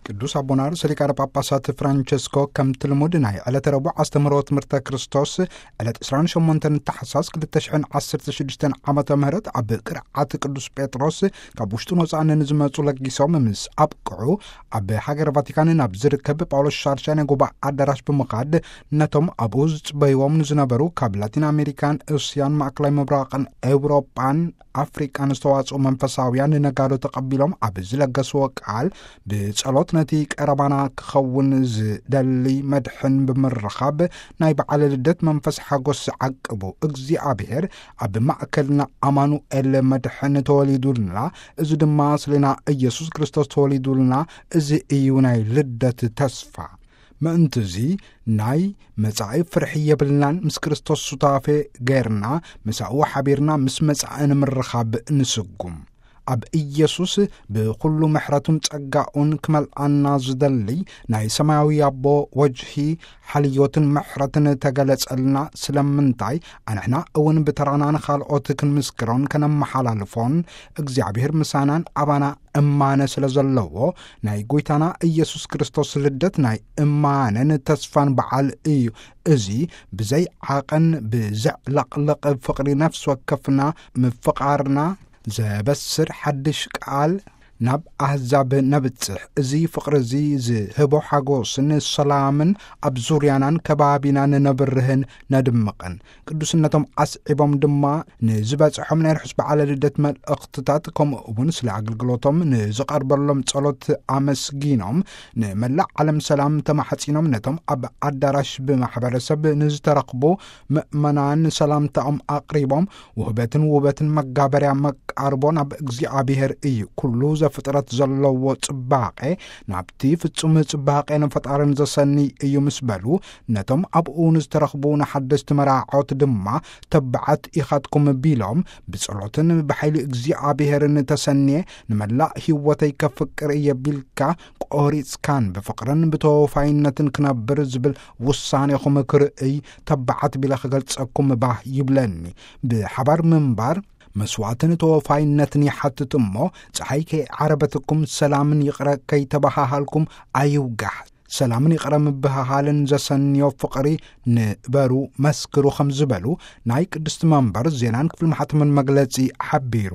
ቅዱስ ኣቦና ርእሰ ሊቃነ ጳጳሳት ፍራንቸስኮ ከምቲ ልሙድ ናይ ዕለተ ረቡዕ ኣስተምህሮ ትምህርተ ክርስቶስ ዕለት ዕስራን ሸሞንተን ታሕሳስ ክልተ ሽሕን ዓሰርተ ሽዱሽተን ዓመተ ምህረት ኣብ ቅርዓት ቅዱስ ጴጥሮስ ካብ ውሽጥን ወጻእን ንዝመጹ ለጊሶም ምስ ኣብቅዑ፣ ኣብ ሃገረ ቫቲካን ናብ ዝርከብ ጳውሎስ ሻድሻይ ናይ ጉባኤ ኣዳራሽ ብምኻድ ነቶም ኣብኡ ዝጽበይዎም ንዝነበሩ ካብ ላቲን ኣሜሪካን፣ እስያን፣ ማእከላይ ምብራቕን ኤውሮጳን ኣፍሪቃን ዝተዋጽኡ መንፈሳውያን ነጋዶ ተቐቢሎም ኣብ ዝለገስዎ ቃል፣ ብጸሎት ነቲ ቀረባና ክኸውን ዝደሊ መድሕን ብምርኻብ ናይ በዓለ ልደት መንፈስ ሓጎስ ዓቅቡ። እግዚኣብሔር ኣብ ማእከልና ኣማኑኤል መድሕን ተወሊዱልና፣ እዚ ድማ ስሌና ኢየሱስ ክርስቶስ ተወሊዱልና፣ እዚ እዩ ናይ ልደት ተስፋ። ምእንትዚ ናይ መጻኢ ፍርሒ የብልናን፣ ምስ ክርስቶስ ሱታፌ ገይርና፣ ምሳኡ ሓቢርና ምስ መጻኢ ንምርኻብ ንስጉም። ኣብ ኢየሱስ ብኹሉ ምሕረቱን ጸጋኡን ክመልኣና ዝደሊ ናይ ሰማያዊ ኣቦ ወጅሂ ሓልዮትን ምሕረትን ተገለጸልና። ስለምንታይ ኣንሕና እውን ብተራና ንኻልኦት ክንምስክሮን ከነመሓላልፎን እግዚኣብሔር ምሳናን ኣባና እማነ ስለ ዘለዎ፣ ናይ ጐይታና ኢየሱስ ክርስቶስ ልደት ናይ እማነን ተስፋን በዓል እዩ። እዚ ብዘይ ዓቐን ብዘዕለቕልቕ ፍቕሪ ነፍሲ ወከፍና ምፍቓርና ዘበስር ሓድሽ ቃል ናብ ኣህዛብ ነብጽሕ። እዚ ፍቕሪ እዚ ዝህቦ ሓጎስን ሰላምን ኣብ ዙርያናን ከባቢናን ነብርህን ነድምቕን። ቅዱስነቶም ኣስዒቦም ድማ ንዝበጽሖም ናይ ርሑስ በዓለ ልደት መልእኽትታት፣ ከምኡ እውን ስለ ኣገልግሎቶም ንዝቐርበሎም ጸሎት ኣመስጊኖም፣ ንመላእ ዓለም ሰላም ተማሕጺኖም፣ ነቶም ኣብ ኣዳራሽ ብማሕበረሰብ ንዝተረኽቡ ምእመናን ሰላምታኦም ኣቕሪቦም፣ ውህበትን ውበትን መጋበርያ መቃርቦ ናብ እግዚኣብሔር እዩ። ኩሉ ዘፍጥረት ዘለዎ ጽባቐ ናብቲ ፍጹም ጽባቐ ንፈጣርን ዘሰኒ እዩ ምስ በሉ፣ ነቶም ኣብኡ ንዝተረኽቡ ንሓደስቲ መራዖት ድማ፣ ተባዓት ኢኻትኩም ቢሎም፣ ብጸሎትን ብሓይሊ እግዚኣብሔርን ተሰንየ፣ ንመላእ ህይወተይ ከፍቅር እየ ቢልካ፣ ቆሪጽካን ብፍቕርን ብተወፋይነትን ክነብር ዝብል ውሳኔኹም ክርእይ፣ ተባዓት ቢለ ክገልጸኩም ባህ ይብለኒ። ብሓባር ምንባር መስዋዕትን ተወፋይነትን ይሓትት እሞ፣ ጸሓይ ከይዓረበትኩም ሰላምን ይቕረ ከይተበሃሃልኩም ኣይውጋሕ። ሰላምን ይቕረ ምብህሃልን ዘሰንዮ ፍቕሪ ንበሩ፣ መስክሩ ከም ዝበሉ ናይ ቅድስቲ መንበር ዜናን ክፍሊ ማሕተምን መግለጺ ሓቢሩ።